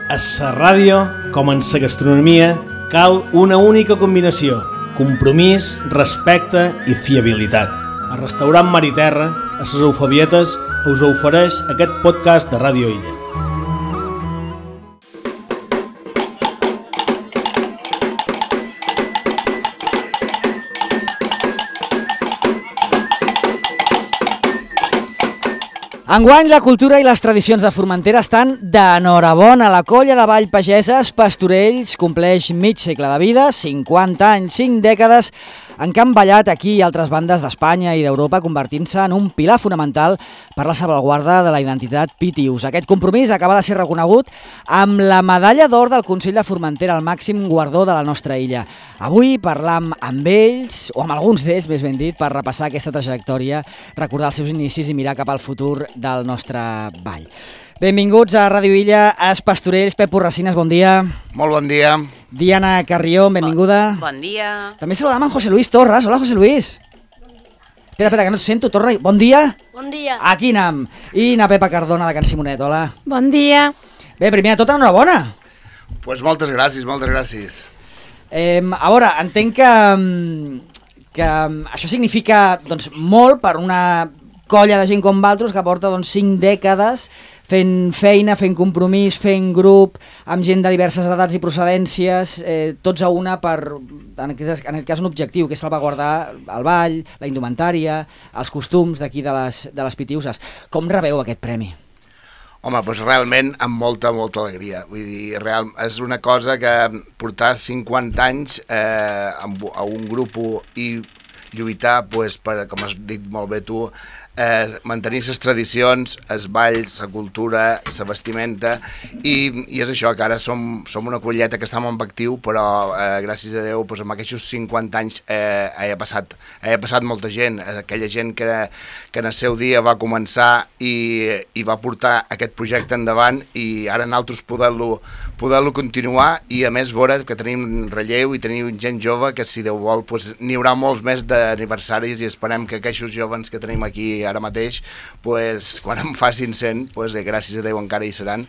A la ràdio, com en la gastronomia, cal una única combinació: compromís, respecte i fiabilitat. El restaurant Mar i Terra, a les Eufebietes, us ofereix aquest podcast de Ràdio Illa. Enguany, la cultura i les tradicions de Formentera estan d'enhorabona. La colla de Vall Pageses Pastorells compleix mig segle de vida, 50 anys, 5 dècades, en què han ballat aquí i altres bandes d'Espanya i d'Europa, convertint-se en un pilar fonamental per la salvaguarda de la identitat pitius. Aquest compromís acaba de ser reconegut amb la medalla d'or del Consell de Formentera, el màxim guardó de la nostra illa. Avui parlam amb ells, o amb alguns d'ells, més ben dit, per repassar aquesta trajectòria, recordar els seus inicis i mirar cap al futur del nostre ball. Benvinguts a Ràdio Illa, Els Pastorells. Pep Porracines, bon dia. Molt bon dia. Diana Carrió, benvinguda. Bon dia. També saludam en José Luis Torres. Hola, José Luis. Espera, que no et sento, torna. Bon dia. Bon dia. Aquí anem. I na Pepa Cardona, de Can Simonet, hola. Bon dia. Bé, primer de tot, enhorabona. Pues moltes gràcies, moltes gràcies. A veure, entenc que això significa doncs, molt per una colla de gent com vosaltres que porta 5 dècades fent feina, fent compromís, fent grup, amb gent de diverses edats i procedències, tots a una per, en aquest cas, un objectiu, que és salvaguardar el ball, la indumentària, els costums d'aquí de les Pitiuses. Com rebeu aquest premi? Home, doncs realment amb molta alegria. Vull dir, és una cosa que portar 50 anys a un grup i lluitar, doncs, per, com has dit molt bé tu, mantenir les tradicions, els balls, la cultura, la vestimenta, i és això, que ara som una colleta que estem en actiu, però gràcies a Déu, doncs, amb aquests 50 anys ha passat molta gent, aquella gent que en el seu dia va començar i va portar aquest projecte endavant, i ara nosaltres poder-lo continuar, i a més veure que tenim relleu i tenim gent jove que, si Déu vol, doncs, n'hi haurà molts més d'aniversaris, i esperem que aquests joves que tenim aquí ara mateix, pues, quan en facin 100, pues, gràcies a Déu encara hi seran,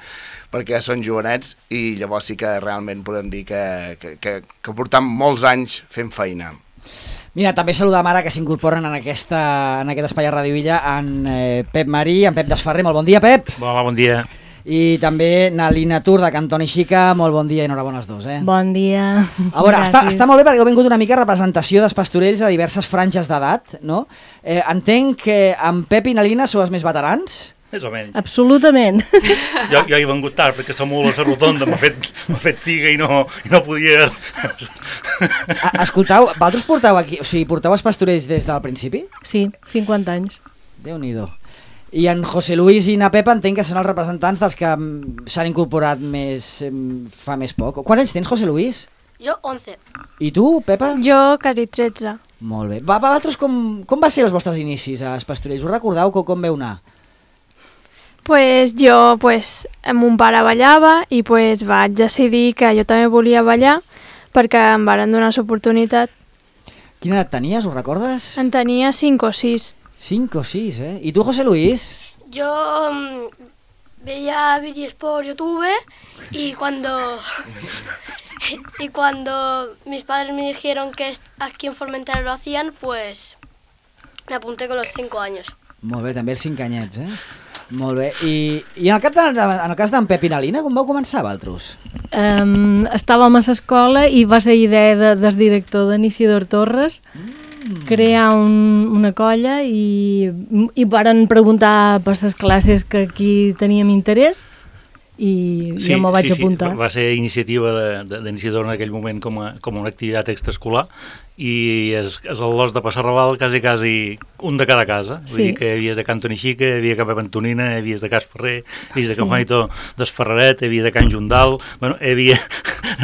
perquè són jovenets, i llavors sí que realment podem dir que portam molts anys fent feina. Mira, també saludam ara que s'incorporen en aquest espai a Ràdio Illa en Pep Marí, en Pep Desferrer. Molt bon dia, Pep. Hola, bon dia. I també na Lina Tur de Cantoni Xica. Molt bon dia i enhorabona els dos. Bon dia. A veure, està molt bé perquè heu vingut una mica representació dels pastorells de diverses franges d'edat, no? Entenc que en Pep i na Lina sou els més veterans? Més o menys. Absolutament. Jo he vengut tard perquè la mula a la rotonda m'ha fet figa i no podia... Escoltau, vosaltres porteu els pastorells des del principi? Sí, 50 anys. Déu-n'hi-do. I en José Luis i na Pepa entenc que són els representants dels que s'han incorporat fa més poc. Quants anys tens, José Luis? Jo, 11. I tu, Pepa? Jo, quasi 13. Molt bé. Vosaltres com va ser els vostres inicis als pastorells? Us recordeu com veu anar? Pues jo, mon pare ballava i vaig decidir que jo també volia ballar perquè em varen donar l'oportunitat. Quina edat tenies, ho recordes? En tenia 5 o 6. 5 o 6, I tu, José Luis? Yo veía vídeos por YouTube y cuando mis padres me dijeron que aquí en Formentera lo hacían, pues me apunté con los 5 años. Molt bé, també els 5 anyets, Molt bé. I en el cas d'en Pep i na Lina, com vau començar, vosaltres? Estàvem a l'escola i va ser idea del director d'Isidor Torres crear una colla i varen preguntar per les classes que aquí teníem interès i jo m'ho vaig apuntar. Va ser iniciativa d'Isidor en aquell moment com una activitat extraescolar, i és el los de Passarrabal quasi un de cada casa. Vull dir que hi havies de Cantoni Xica, hi havia Can Antonina, hi havies de Cas Ferrer, hi havies de Can Juanito d'Esferraret, hi havia de Can Jundal, bueno, hi havia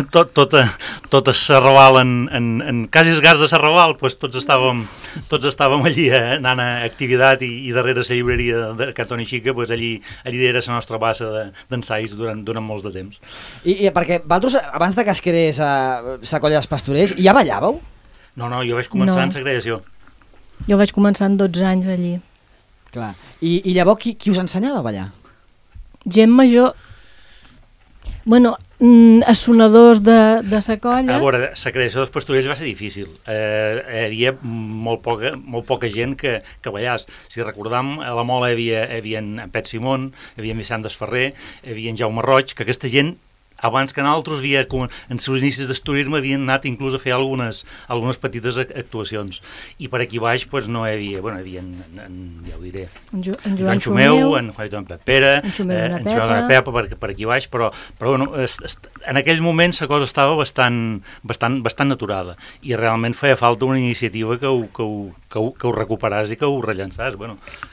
tot a Sarrabal, en quasi els gars de Sarrabal, doncs tots estàvem allí anant a activitat, i darrere la llibreria de Cantoni Xica, allí era la nostra base d'ensais durant molts de temps. I perquè vosaltres, abans de que es creés la colla dels pastorells, ja ballàveu? No, jo vaig començar en la creació. Jo vaig començar en 12 anys allí. Clar. I llavors qui us ensenyava a ballar? Gent major. Bueno, els sonadors de sa colla... A veure, la creació dels pastorells va ser difícil. Hi havia molt poca gent que ballàs. Si recordam, a la Mola hi havia en Pet Simón, hi havia en Vicent Desferrer, hi havia en Jaume Roig, que aquesta gent, abans que nosaltres, en seus inicis d'estudiar-me, havien anat inclús a fer algunes petites actuacions. I per aquí baix no hi havia, hi havia, ja ho diré, en Joan Xumeu, en Juan Pep Pere, en Xumeu de Pepa per aquí baix, però en aquells moments la cosa estava bastant aturada i realment feia falta una iniciativa que ho recuperàs i que ho rellançàs.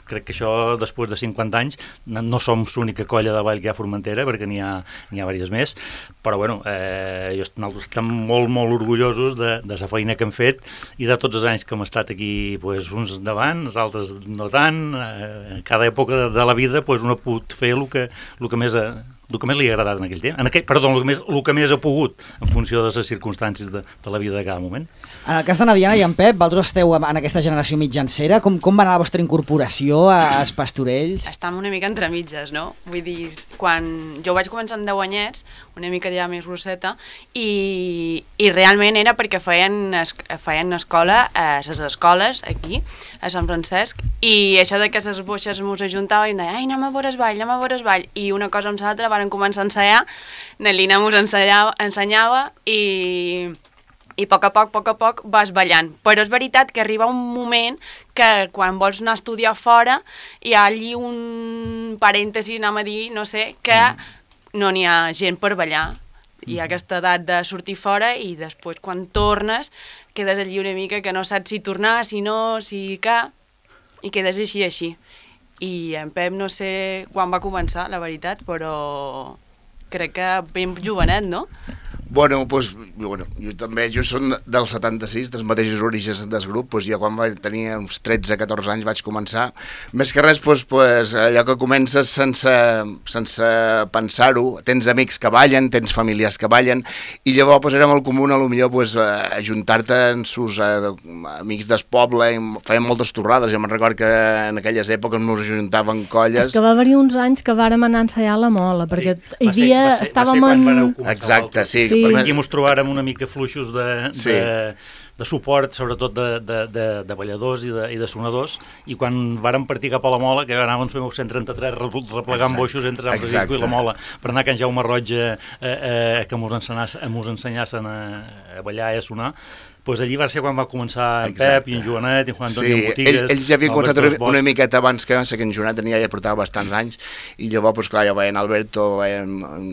Crec que això, després de 50 anys, no som l'única colla de ball que hi ha a Formentera, perquè n'hi ha diverses més, però nosaltres estem molt orgullosos de la feina que hem fet i de tots els anys que hem estat aquí, uns endavant, els altres no tant. Cada època de la vida un ha pogut fer el que més li ha agradat en aquell temps, el que més ha pogut en funció de les circumstàncies de la vida de cada moment. En el cas de Diana i en Pep, vosaltres esteu en aquesta generació mitjancera, com va anar la vostra incorporació als pastorells? Estàvem una mica entre mitges, no? Vull dir, quan jo vaig començar amb 10 anyets, una mica ja més grosseta, i realment era perquè feien escola a les escoles aquí, a Sant Francesc, i això de que les boixes mos ajuntava i em deia, ai, anem a veure el ball, i una cosa amb l'altra varen començar a ensenyar, Nelina mos ensenyava i a poc a poc vas ballant. Però és veritat que arriba un moment que quan vols anar a estudiar fora hi ha allí un parèntesi, anem a dir, no sé, que no n'hi ha gent per ballar. Hi ha aquesta edat de sortir fora i després quan tornes quedes allí una mica que no saps si tornar, si no, si què, i quedes així. I en Pep no sé quan va començar, la veritat, però crec que ben jovenet, no? Jo també, som del 76, dels mateixos orígens del grup, ja quan vaig tenir uns 13-14 anys vaig començar. Més que res, allò que comences sense pensar-ho, tens amics que ballen, tens familiars que ballen, i llavors era molt comú, potser, ajuntar-te amb sus amics del poble, i feien moltes torrades, jo me'n record que en aquelles èpoques nos ajuntaven colles. És que va haver uns anys que vàrem anar a ensaiar a la Mola, perquè estàvem en... Exacte, sí. Aquí ens trobàrem una mica fluixos de suport, sobretot de balladors i de sonadors, i quan vàrem partir cap a la Mola, que anàvem al 133 replegant boixos entre Sant Francisco i la Mola, per anar a Can Jaume Roig que mos ensenyassin a ballar i a sonar, allí va ser quan va començar en Pep i en Joanet i en Juan Antonio Botigues. Ells ja havien començat una miqueta abans que en Joanet ja portava bastants anys, i llavors, clar, ja veien Alberto, veien en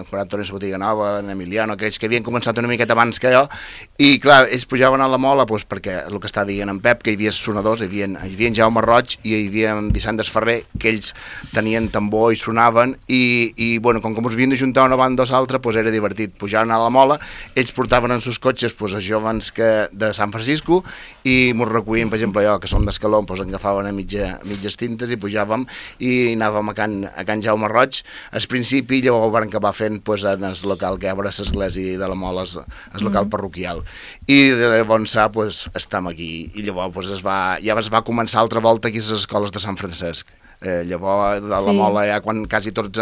Juan Antonio Botiga Nova, en Emiliano, aquells que havien començat una miqueta abans que jo, i clar, ells pujaven a la Mola perquè el que està dient en Pep, que hi havia sonadors, hi havia en Jaume Roig i hi havia en Vicent Desferrer, que ells tenien tambor i sonaven, i com que ens havien d'ajuntar una banda o l'altra, era divertit. Pujaven a la Mola, ells portaven en sus cotxes els joves de Sant Francisco i ens recollien, per exemple, jo, que som d'Escaló, ens agafaven a mitges tintes i pujàvem i anàvem a Can Jaume Roig al principi, i llavors vam acabar fent en el local que hi ha a l'església de la Mola, el local parroquial, i llavors estem aquí, i llavors ja es va començar altra volta aquí a les escoles de Sant Francesc. Llavors de la Mola, ja quan quasi tots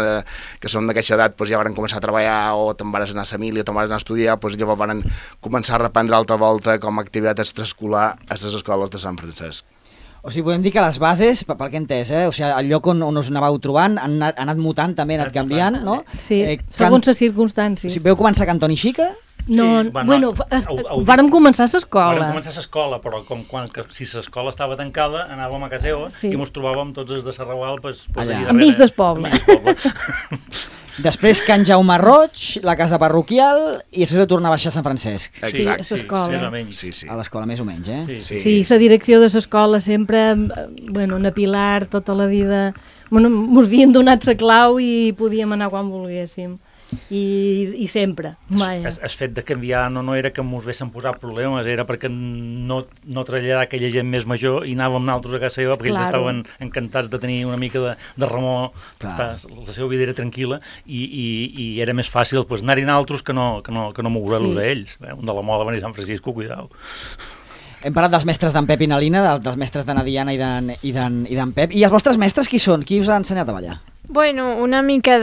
que som d'aquesta edat ja van començar a treballar o te'n vas anar a Samili o te'n vas anar a estudiar, llavors van començar a reprendre altra volta com a activitat extraescolar a les escoles de Sant Francesc. O sigui, podem dir que les bases, pel que he entès, o sigui, el lloc on us anàveu trobant han anat mutant, també ha anat canviant, no? Sí, segons les circumstàncies. O sigui, veu començar a Cantó i Xica? No, vàrem començar a l'escola. Vàrem començar a l'escola, però si l'escola estava tancada, anàvem a Caseo i ens trobàvem tots els de Serrabal enmig del poble. Després Can Jaume Roig, la casa parroquial, i després tornar a baixar a Sant Francesc. Sí, a l'escola. A l'escola, més o menys, eh? Sí, la direcció de l'escola sempre, en Pilar, tota la vida, ens havien donat la clau i podíem anar quan volguéssim. I sempre, mai. El fet de canviar no era que ens haguessin posat problemes, era perquè no traslladar aquella gent més major i anàvem nosaltres a casa seva perquè ells estaven encantats de tenir una mica de remor, la seva vida era tranquil·la i era més fàcil anar-hi nosaltres que no moure-los a ells. Un de la Mola venir a Sant Francisco, cuidao. Hem parlat dels mestres d'en Pep i Nalina, dels mestres de Diana i d'en Pep. I els vostres mestres qui són? Qui us ha ensenyat a ballar? Bueno, una mica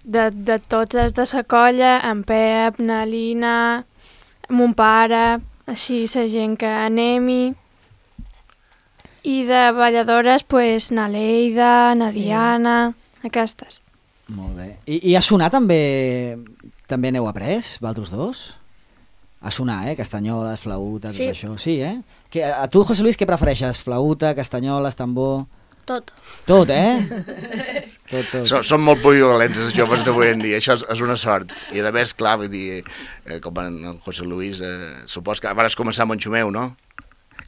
de tots els de la colla, en Pep, na Lina, mon pare, així la gent que anemi. I de balladores, pues, na Leida, na Diana, aquestes. Molt bé. I a sonar també n'heu après, vosaltres dos? A sonar, castanyoles, flauta, tot això. Sí, a tu, José Luis, què prefereixes? Flauta, castanyoles, tambor... Tot. Tot, Tot. Són molt polivalents els joves d'avui en dia, això és una sort. I a més, clar, vull dir, com en José Luis, supos que vas començar amb en Xumeu, no?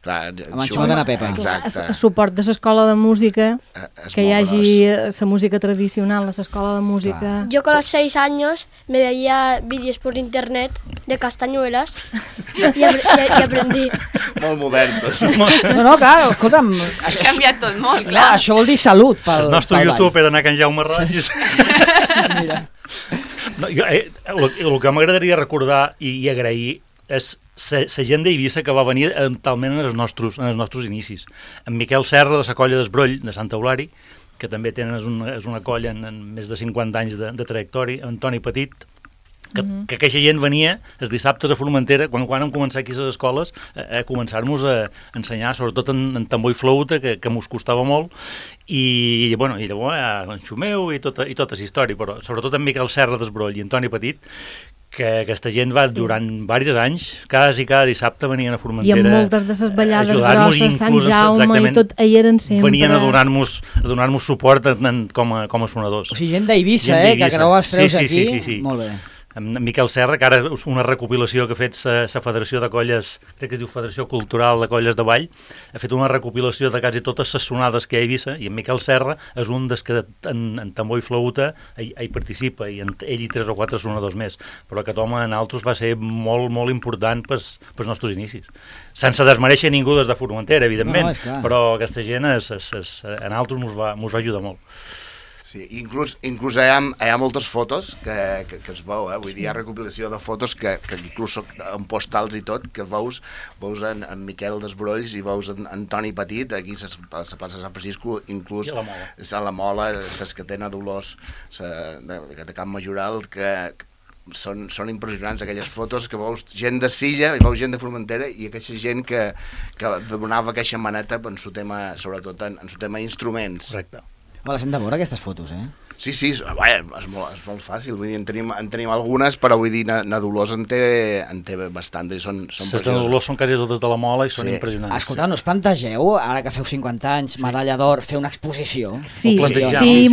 Clar, amb en Xumeu de na Pepa. Exacte. A suport de l'escola de música, que hi hagi la música tradicional a l'escola de música. Clar. Yo con los 6 años me veía vídeos por internet de castañuelas y aprendí. Molt modern, tot. No, clar, escolta'm... Ha canviat tot molt, clar. Això vol dir salut pel El nostre pel YouTube ball. era anar a Can Jaume Roig. Mira. No, el que m'agradaria recordar i agrair és la gent d'Eivissa que va venir talment en els nostres inicis. En Miquel Serra, de la colla d'Esbroll, de Santa Eulària, que també és una colla en més de 50 anys de trajectòria, Antoni Petit, que aquesta gent venia els dissabtes a Formentera, quan hem començat aquí a les escoles, a començar-nos a ensenyar, sobretot en tambor i flauta, que mos costava molt, i llavors en Xumeu i tota la història, però sobretot en Miquel Serra d'Esbroll i Antoni Petit, que aquesta gent va durant diversos anys, cada dissabte venien a Formentera. I amb moltes de les ballades grosses, Sant Jaume i tot, hi eren sempre. Venien a donar-nos suport com a sonadors. O sigui, gent d'Eivissa, que creu els freus aquí. Sí. Molt bé. En Miquel Serra, que ara és una recopilació que ha fet la Federació de Colles, crec que es diu Federació Cultural de Colles de Ball, ha fet una recopilació de quasi totes les sonades que hi ha a Eivissa, i en Miquel Serra és un dels que en tambor i flauta hi participa, i ell i 3 o 4 sonadors més, però aquest home en altres va ser molt, molt important pels nostres inicis. Sense desmereixer ningú des de Formentera, evidentment, però aquesta gent en altres mos va ajudar molt. Sí, inclús hi ha moltes fotos que es veu, vull dir, hi ha recopilació de fotos que inclús en postals i tot, que veus en Miquel d'Esbrolls i veus en Toni Petit, aquí a la plaça de Sant Francisco, inclús a la Mola, l'Escatena d'Olors de Camp Majoral, que són impressionants aquelles fotos que veus gent de Silla i veus gent de Formentera i aquesta gent que donava aquesta maneta en su tema, sobretot en su tema instruments. Correcte. Les hem de veure, aquestes fotos, Sí, és molt fàcil, vull dir, en tenim algunes, però vull dir, na Dolors en té bastant, i són les de Dolors són quasi totes de la Mola i són impressionants. Escolta, no us plantegeu, ara que feu 50 anys, medalla d'or, fer una exposició? Sí,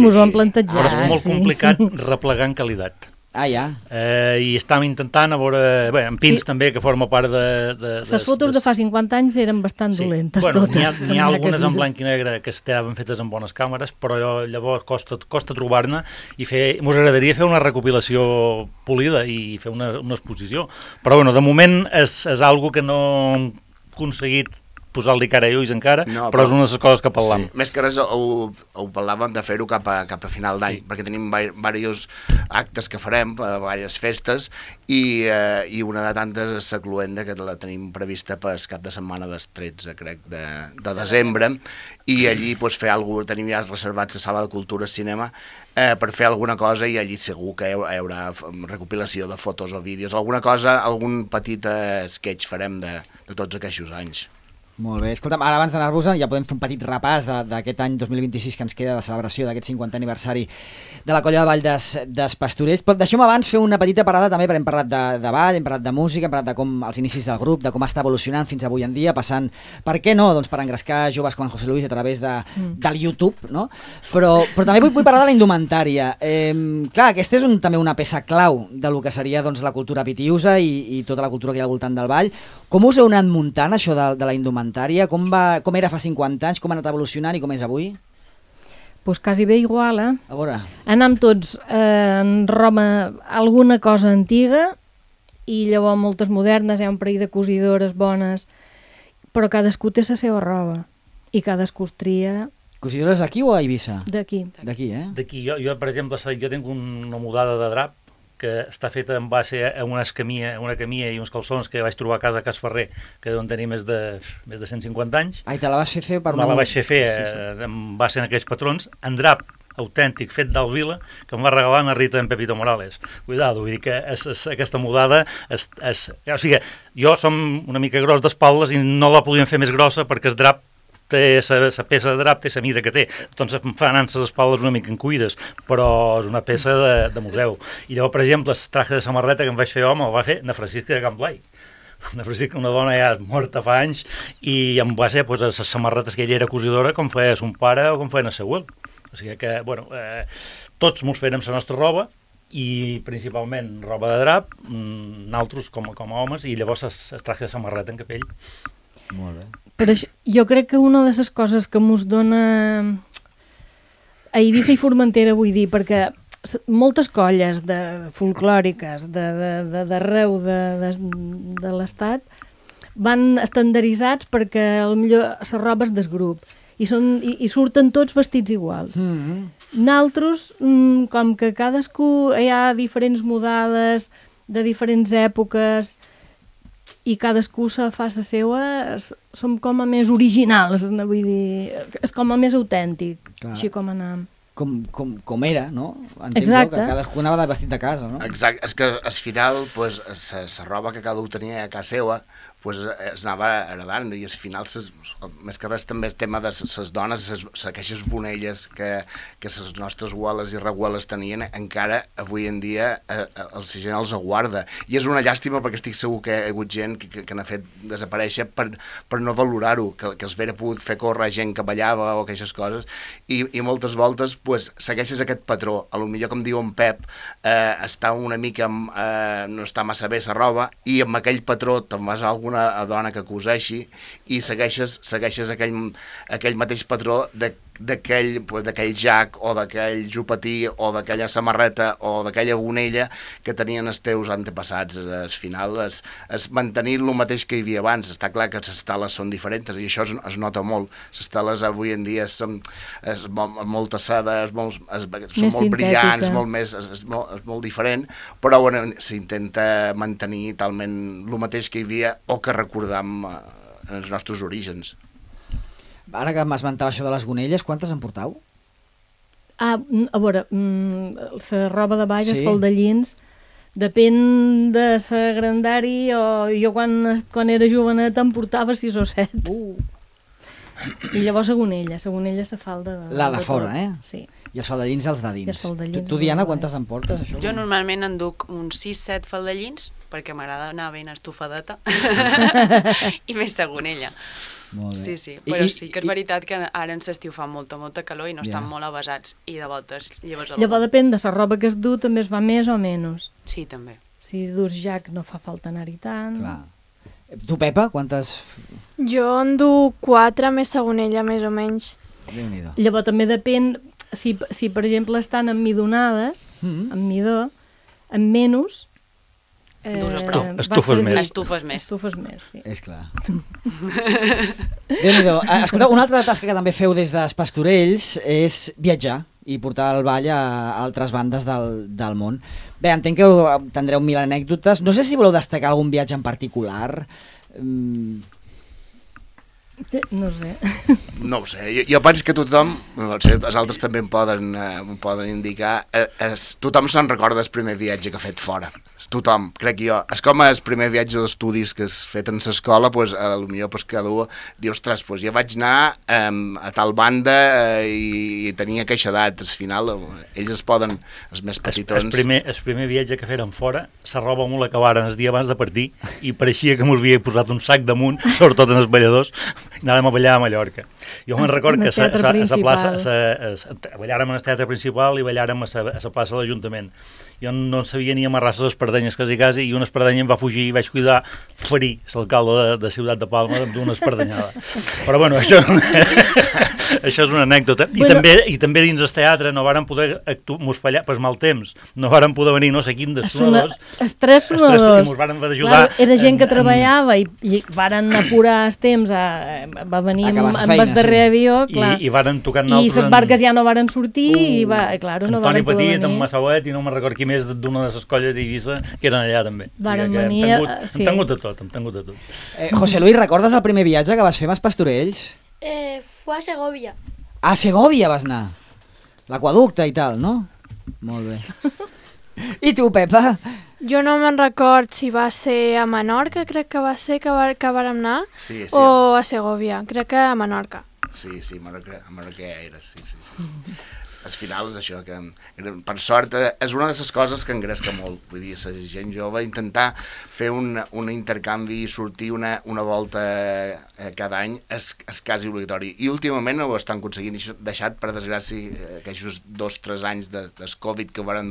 mos ho hem plantejat. Però és molt complicat replegar en qualitat. Ah, ja. I estàvem intentant a veure... Bé, en Pins també, que forma part de... Les fotos de fa 50 anys eren bastant dolentes totes. N'hi ha algunes en blanc i negre que estaven fetes amb bones càmeres, però llavors costa trobar-ne i mos agradaria fer una recopilació polida i fer una exposició. Però de moment és algo que no hem aconseguit posar-li cara i ulls encara, però és una de les coses que parlam. Sí. Més que res ho parlàvem de fer-ho cap a final d'any, perquè tenim diversos actes que farem, diverses festes, i una de tantes és la Cluenda, que la tenim prevista per cap de setmana del 13, crec, de desembre, i allí fer alguna cosa, tenim ja reservats la Sala de Cultura i Cinema, per fer alguna cosa, i allí segur que hi haurà recopilació de fotos o vídeos, alguna cosa, algun petit sketch farem de tots aquests anys. Molt bé, escolta'm, ara abans d'anar-vos-en ja podem fer un petit repàs d'aquest any 2026 que ens queda de celebració d'aquest 50 aniversari de la Colla de Ball des Pastorells. Però deixem abans fer una petita parada també, perquè hem parlat de ball, hem parlat de música, hem parlat de com els inicis del grup, de com està evolucionant fins avui en dia, passant, per què no, doncs per engrescar joves com en José Luis a través del YouTube, no? Però també vull parlar de la indumentària. Clar, aquesta és també una peça clau de lo que seria doncs, la cultura pitiusa i tota la cultura que hi ha al voltant del ball. Com us heu anat muntant això de la indumentària? Com era fa 50 anys? Com ha anat evolucionant i com és avui? Pues quasi bé igual, A veure. Anem tots en Roma alguna cosa antiga i llavors moltes modernes, hi ha un parell de cosidores bones, però cadascú té la seva roba i cadascú es tria... Cosidores aquí o a Eivissa? D'aquí. D'aquí, D'aquí. Jo, per exemple, jo tinc una mudada de drap que està feta en base a una camilla i uns calçons que vaig trobar a casa a Cas Ferrer, que deuen tenir més de 150 anys. Ai, te la vas fer per... Me la vaig fer en base a aquells patrons, en drap autèntic, fet d'Alt Vila, que em va regalar na Rita en Pepito Morales. Cuidado, vull dir que aquesta mudada... O sigui, jo som una mica gros d'espaldes i no la podíem fer més grossa perquè el drap té la peça de drap, té la mida que té. Doncs em fan les espaldes una mica encuïdes, però és una peça de museu. I llavors, per exemple, el traje de samarreta que em vaig fer home el va fer na Francisca de Can Blai. Na Francisca, una dona ja morta fa anys, i em va ser les samarretes que ella era cosidora com feia son pare o com feia el seu abuel. O sigui que, bueno, tots mos fèiem la nostra roba, i principalment roba de drap, nosaltres com a homes, i llavors es traje de samarreta en capell. Molt bé. Però jo crec que una de les coses que mos dona a Eivissa i Formentera, vull dir, perquè moltes colles folclòriques d'arreu de l'estat van estandarditzats perquè potser la roba és del grup i surten tots vestits iguals. Nosaltres, com que cadascú hi ha diferents mudades de diferents èpoques i cadascú se fa la seva, som com a més originals, vull dir, és com a més autèntic, així com anam. Com era, no? Exacte. Que cadascú anava vestit de casa, no? Exacte, és que al final la roba que cada un tenia a casa seva es anava heredant, i al final més que res també el tema de les dones, aquestes bonelles que les nostres abueles i reabueles tenien, encara avui en dia la gent els aguarda, i és una llàstima perquè estic segur que hi ha hagut gent que n'ha fet desaparèixer per no valorar-ho, que els haguera pogut fer córrer gent que ballava o aquestes coses, i moltes voltes segueixes aquest patró. A lo millor, com diu en Pep, està una mica no està massa bé la roba, i amb aquell patró te'n vas a alguna dona que coseixi i segueixes aquell mateix patró d'aquell jac o d'aquell jupatí o d'aquella samarreta o d'aquella bonella que tenien els teus antepassats. Al final és mantenir el mateix que hi havia abans. Està clar que les tales són diferents i això es nota molt. Les tales avui en dia són molt tassades, són molt brillants, és molt diferent, però bueno, s'intenta mantenir talment el mateix que hi havia o que recordam en els nostres orígens. Ara que m'esmentava això de les gonelles, quantes en portau? A veure, la roba de ball, els faldellins, depèn de la grandària, o jo quan era jovenet en portava 6 o 7. I llavors la gonella se falda la de fora, Sí. I els faldellins els de dins. Tu, Diana, quantes en portes, això? Jo normalment en duc uns 6-7 faldellins, perquè m'agrada anar ben estufadeta, i més la gonella. Sí, però sí que és veritat que ara en l'estiu fa molta calor i no estan molt avasats, i de voltes lleves algú. Llavors depèn de la roba que es du, també es va més o menys. Sí, també. Si dus jack no fa falta anar-hi tant. Clar. Tu, Pepa, quantes? Jo en duc 4 més la gonella, més o menys. Déu-n'hi-do. Llavors també depèn, si per exemple estan emmidonades, amb midó, amb menys, estufes més. Estufes més, sí. És clar. Déu-n'hi-do. Escolteu, una altra tasca que també feu des dels Pastorells és viatjar i portar el ball a altres bandes del món. Bé, entenc que tindreu 1000 anècdotes. No sé si voleu destacar algun viatge en particular. No sé. No ho sé, jo penso que tothom, els altres també em poden indicar, tothom se'n recorda el primer viatge que ha fet fora. Tothom, crec jo. És com el primer viatge d'estudis que has fet en l'escola, potser cada un diu, ostres, jo vaig anar a tal banda i tenia aquesta edat. Al final, ells es poden, els més petitons... El primer viatge que feren fora, la roba molt acabaren el dia abans de partir i pareixia que m'ho havia posat un sac damunt, sobretot en els balladors, i anàvem a ballar a Mallorca. Jo me'n record que a la plaça, ballàrem en el teatre principal i ballàrem a la plaça de l'Ajuntament. Jo no sabia ni amarrar les espardenyes quasi, i una espardenya em va fugir i vaig cuidar ferir l'alcalde de Ciutat de Palma d'una espardenyada. Però bueno, això és una anècdota. I també dins el teatre no varen poder mos fallar per mal temps. No varen poder venir no sé quin dels sonadors. Els tres sonadors. I mos varen ajudar. Era gent que treballava i varen apurar els temps. Va venir amb el darrer avió, clar. I varen tocar nosaltres. I les barques ja no varen sortir i claro, no varen poder venir. Antoni Petit, en Massauet i no me'n record qui més d'una de les colles d'Eivissa que eren allà també. Varen venir, hem tingut de tot. José Luis, recordes el primer viatge que vas fer amb els Pastorells? Fue a Segovia. A Segovia vas anar? l'aquaducte i tal, no? Molt bé. I tu, Pepa? Jo no me'n record si va ser a Menorca, crec que va ser que vàrem anar, Sí. o a Segovia, crec que a Menorca. Sí, Menorca era, sí. Al final és això, que per sort és una de les coses que engresca molt, vull dir, la gent jove, intentar fer un intercanvi i sortir una volta cada any és quasi obligatori, i últimament ho estan aconseguint, deixat per desgràcia aquests 2-3 anys del Covid que varen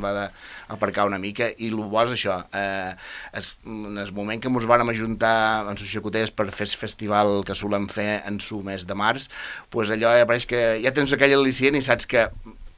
aparcar una mica, i el bo és això, en el moment que ens vàrem ajuntar en les xacoters per fer el festival que solem fer en el mes de març, doncs allò apareix que ja tens aquell al·licient i saps que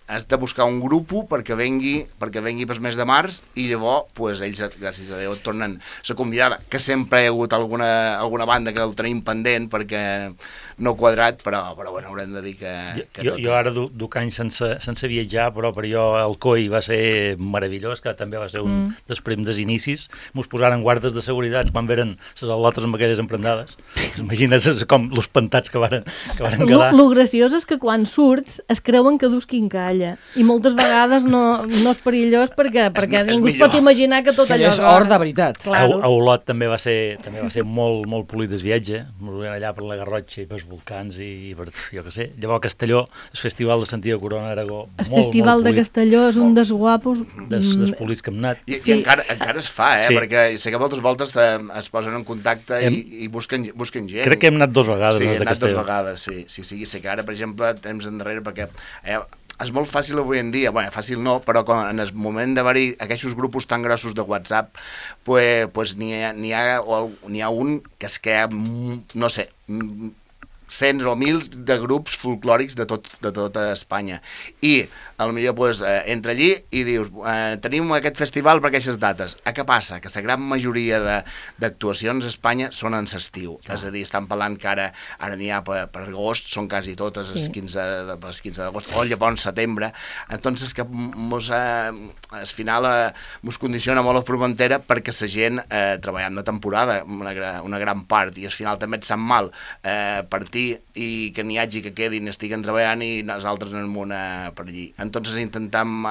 has de buscar un grup perquè vengui pel mes de març, i llavors pues, ells, gràcies a Déu, et tornen la convidada, que sempre hi ha hagut alguna banda que el tenim pendent perquè no quadrat, però bueno, haurem de dir que jo ara duc anys sense viatjar, però per jo el COI va ser meravellós, que també va ser un dels prims inicis. Mos posaren guardes de seguretat quan veren les al·lotes amb aquelles emprendades. Imagina't com els espantats que varen quedar. Lo graciós és que quan surts es creuen que dus quincalla, i moltes vegades no és perillós perquè ningú es pot imaginar que tot allò és or de veritat. Claro. A Olot també va ser molt polit el viatge, allà per la Garrotxa i pels volcans i per, jo què sé. Llavors a Castelló, el festival de Santiago Corona Aragó, el festival de Castelló és un dels guapos. Dels polits que hem anat. I encara es fa, Sí. perquè sé que moltes voltes es posen en contacte i busquen gent. Crec que hem anat 2 vegades. Sí, de hem anat 2 Castelló. vegades, sí. Sé que ara, per exemple, temps endarrere, perquè és molt fàcil avui en dia, bueno, fàcil no, però en el moment d'haver-hi aquests grupos tan grossos de WhatsApp, pues n'hi ha un que es queda, no sé, cents o mils de grups folclòrics de tota Espanya. I potser pues, entra allí i dius tenim aquest festival per aquestes dates. Què passa? Que la gran majoria d'actuacions a Espanya són en l'estiu. És a dir, estan parlant que ara n'hi ha per agost, són quasi totes el 15 d'agost, o llavors setembre. Entonces que al final mos condiciona molt la Formentera perquè la gent treballem de temporada, una gran part, i al final també et sap mal partir i que n'hi hagi que quedin, estiguen treballant i nosaltres anem per allí. Entonces intentam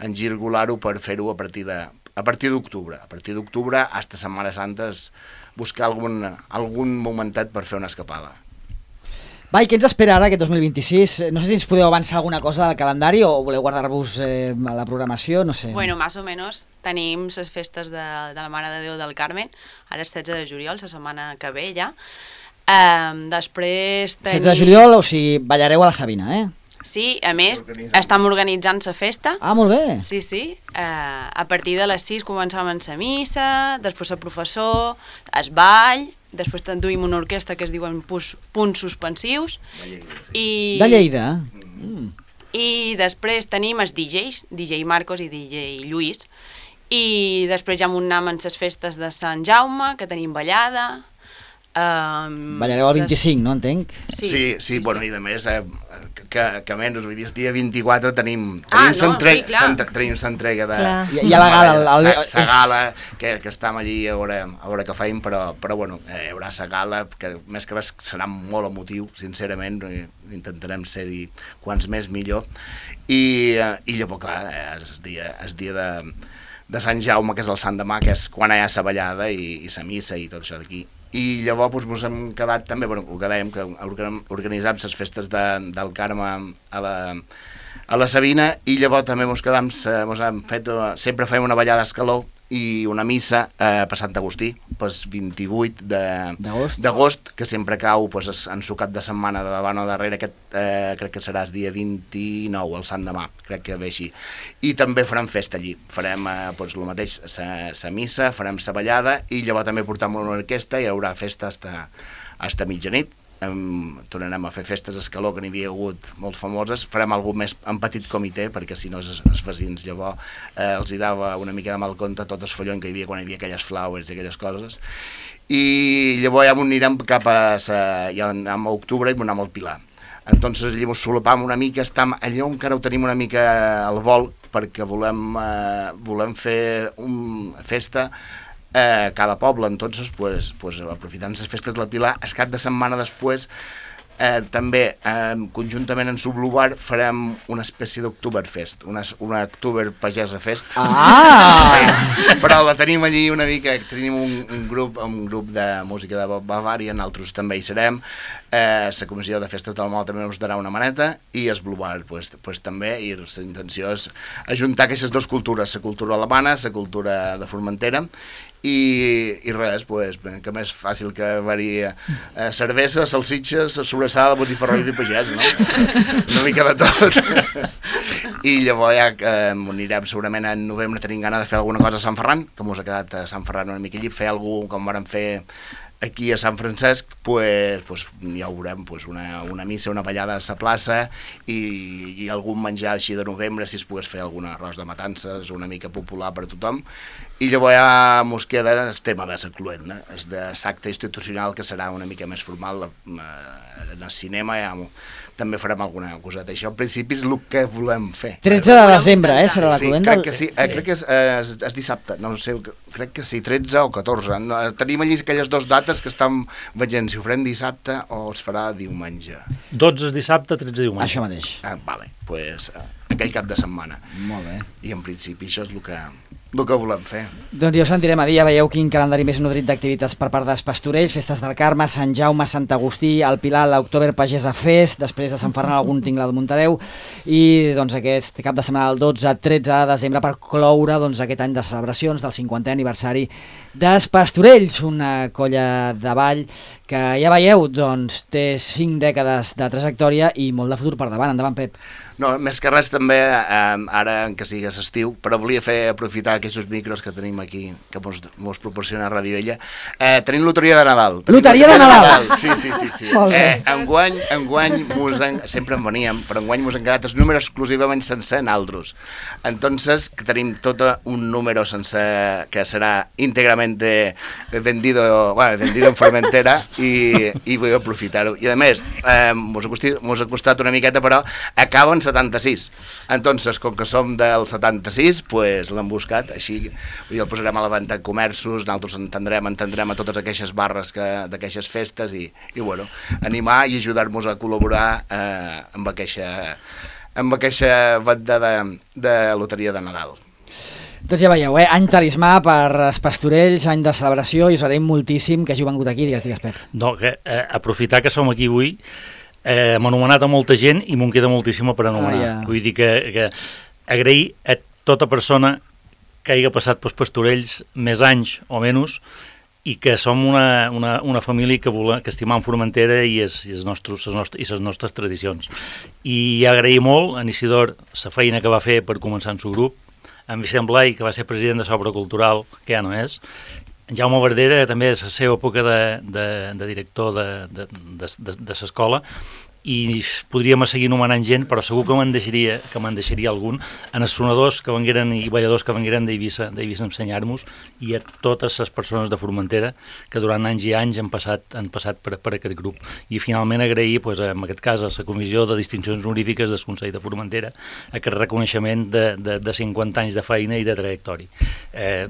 engirgolar-ho per fer-ho a partir d'octubre. A partir d'octubre, hasta Setmana Santa, buscar algun momentet per fer una escapada. Va, i què ens espera ara aquest 2026? No sé si ens podeu avançar alguna cosa del calendari o voleu guardar-vos a la programació, no sé. Bueno, más o menos tenim les festes de la Mare de Déu del Carmen, ara el 16 de juliol, la setmana que ve ja. Després tenim... 16 de juliol, o sigui, ballareu a la Sabina, eh? Sí, a més, estem organitzant la festa. Ah, molt bé. Sí. A partir de les 6 començam amb la missa, després el professor, el ball, després duim una orquestra que es diuen punts suspensius. De Lleida. I després tenim els DJs, DJ Marcos i DJ Lluís. I després ja anem amb les festes de Sant Jaume, que tenim ballada. Ballareu el 25, no entenc? Sí, bueno, i a més que menys, vull dir, el dia 24 tenim l'entrega de... Hi ha la gala. La gala, que estem allí a veure què feim, però bueno, hi haurà la gala, que més que res serà molt emotiu, sincerament, intentarem ser-hi quants més millor, i llavors, clar, el dia de Sant Jaume, que és el Sant demà, que és quan hi ha la ballada i la missa i tot això d'aquí. I llavors ens hem quedat també, bueno, el que dèiem, que organitzam les festes del Carme a la Sabina, i llavors també sempre fem una ballada d'escaló i una missa per Sant Agustí, pel 28 d'agost, que sempre cau en su cap de setmana de davant o darrere, crec que serà el dia 29, el Sant demà, crec que ve així. I també farem festa allí, farem el mateix, la missa, farem la ballada, i llavors també portam una orquestra i hi haurà festa fins mitjanit. Tornarem a fer festes a escaló, que n'hi havia hagut molt famoses, farem alguna més en petit comitè, perquè si no els vecins llavors els hi dava una mica de mal compte tot el follon que hi havia quan hi havia aquelles flowers i aquelles coses, i llavors ja anirem cap a octubre i anem al Pilar. Entonces allà ens solapam una mica, allà encara ho tenim una mica al vol, perquè volem fer una festa cada poble. Entonces, pues aprofitant les festes del Pilar, el cap de setmana després també, conjuntament amb Sublubar, farem una espècie d'Oktoberfest, una Oktober Pagesa Fest. Sí, però la tenim allí una mica, tenim un grup de música de Bavària, nosaltres també hi serem, la comissió de Festes del Mal també ens darà una maneta, i el Blubar pues, també, i la intenció és ajuntar aquestes dues cultures, la cultura alemana, la cultura de Formentera, i res, pues, que més fàcil que haver-hi cervesa, salsitxes, sobrassada, botifarró i pagès, no? Una mica de tot. I llavors ja anirem segurament en novembre, tenim gana de fer alguna cosa a Sant Ferran, que mos ha quedat a Sant Ferran una mica allí, fer alguna cosa com vàrem fer aquí a Sant Francesc, pues ja ho veurem, pues una missa, una ballada a la plaça i algun menjar així de novembre, si es pogués fer algun arròs de matances, una mica popular per a tothom. I llavors ja mos queda el tema de la cluenda, el de l'acte institucional, que serà una mica més formal en el cinema, ja també farem alguna coseta. Això, en principi, és el que volem fer. 13 de desembre, serà la cluenda? Sí, crec que sí. Crec que és dissabte, no sé, crec que sí, 13 o 14. Tenim allí aquelles dues dates que estem veient si ho farem dissabte o es farà diumenge. 12 és dissabte, 13 diumenge. Això mateix. Vale, doncs aquell cap de setmana. Molt bé. I en principi això és el que volem fer. Doncs ja us sentirem a dir, ja veieu quin calendari més nodrit d'activitats per part dels Pastorells, Festes del Carme, Sant Jaume, Sant Agustí, el Pilar, l'October Pagesa Fest, després de Sant Ferran algun tingle de Montareu, i doncs aquest cap de setmana del 12-13 de desembre per cloure doncs, aquest any de celebracions del 50è aniversari dels Pastorells, una colla de ball que ja veieu, doncs, té 5 dècades de trajectòria i molt de futur per davant. Endavant, Pep. No, més que res també, ara que sigui estiu, però volia aprofitar aquests micros que tenim aquí, que mos proporciona Ràdio Ella. Tenim loteria de Nadal. Loteria de Nadal? Sí. Enguany sempre en veníem, però enguany mos han quedat els números exclusivament sense naltros. Entonces, que tenim tot un número sense, que serà íntegrament vendido en Formentera, i vull aprofitar-ho. I a més, mos ha costat una miqueta, però acaba en 76. Entonces, com que som del 76, pues l'hem buscat, així el posarem a la venda a comerços, nosaltres entendrem a totes aquestes barres d'aquestes festes i bueno, animar i ajudar-nos a col·laborar amb aquesta venda de loteria de Nadal. Doncs ja veieu, any talismà per als Pastorells, any de celebració, i us agraïm moltíssim que hagi vengut aquí. Digues, Pep. No, aprofitar que som aquí avui, m'ha anomenat a molta gent i m'ho queda moltíssima per anomenar. Vull dir que agrair a tota persona que hagi passat pels Pastorells més anys o menys i que som una família que estimam Formentera i les nostres tradicions. I agrair molt a Isidor la feina que va fer per començar en el grup, en Vicent Blai, que va ser president de Sobra Cultural, que ja no és, en Jaume Verdera, també de la seva època de director de l'escola, i podríem seguir nomenant gent, però segur que me'n deixaria algun, en els sonadors que vengueren i balladors que vengueren d'Eivissa a ensenyar-nos, i a totes les persones de Formentera que durant anys i anys han passat per aquest grup. I finalment agrair, en aquest cas, a la Comissió de Distincions Honorífiques del Consell de Formentera aquest reconeixement de 50 anys de feina i de trajectòria.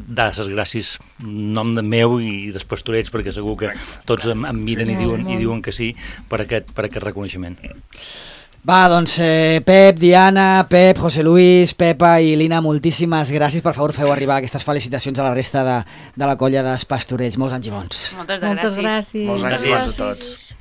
Dar les gràcies en nom meu i dels Pastorells, perquè segur que tots em miren i diuen que sí per aquest reconeixement. Va, doncs Pep, Diana, Pep, José Luis, Pepa i Lina, moltíssimes gràcies. Per favor, feu arribar aquestes felicitacions a la resta de la colla dels Pastorells. Molts anys i bons. Moltes gràcies. Molts anys i bons a tots.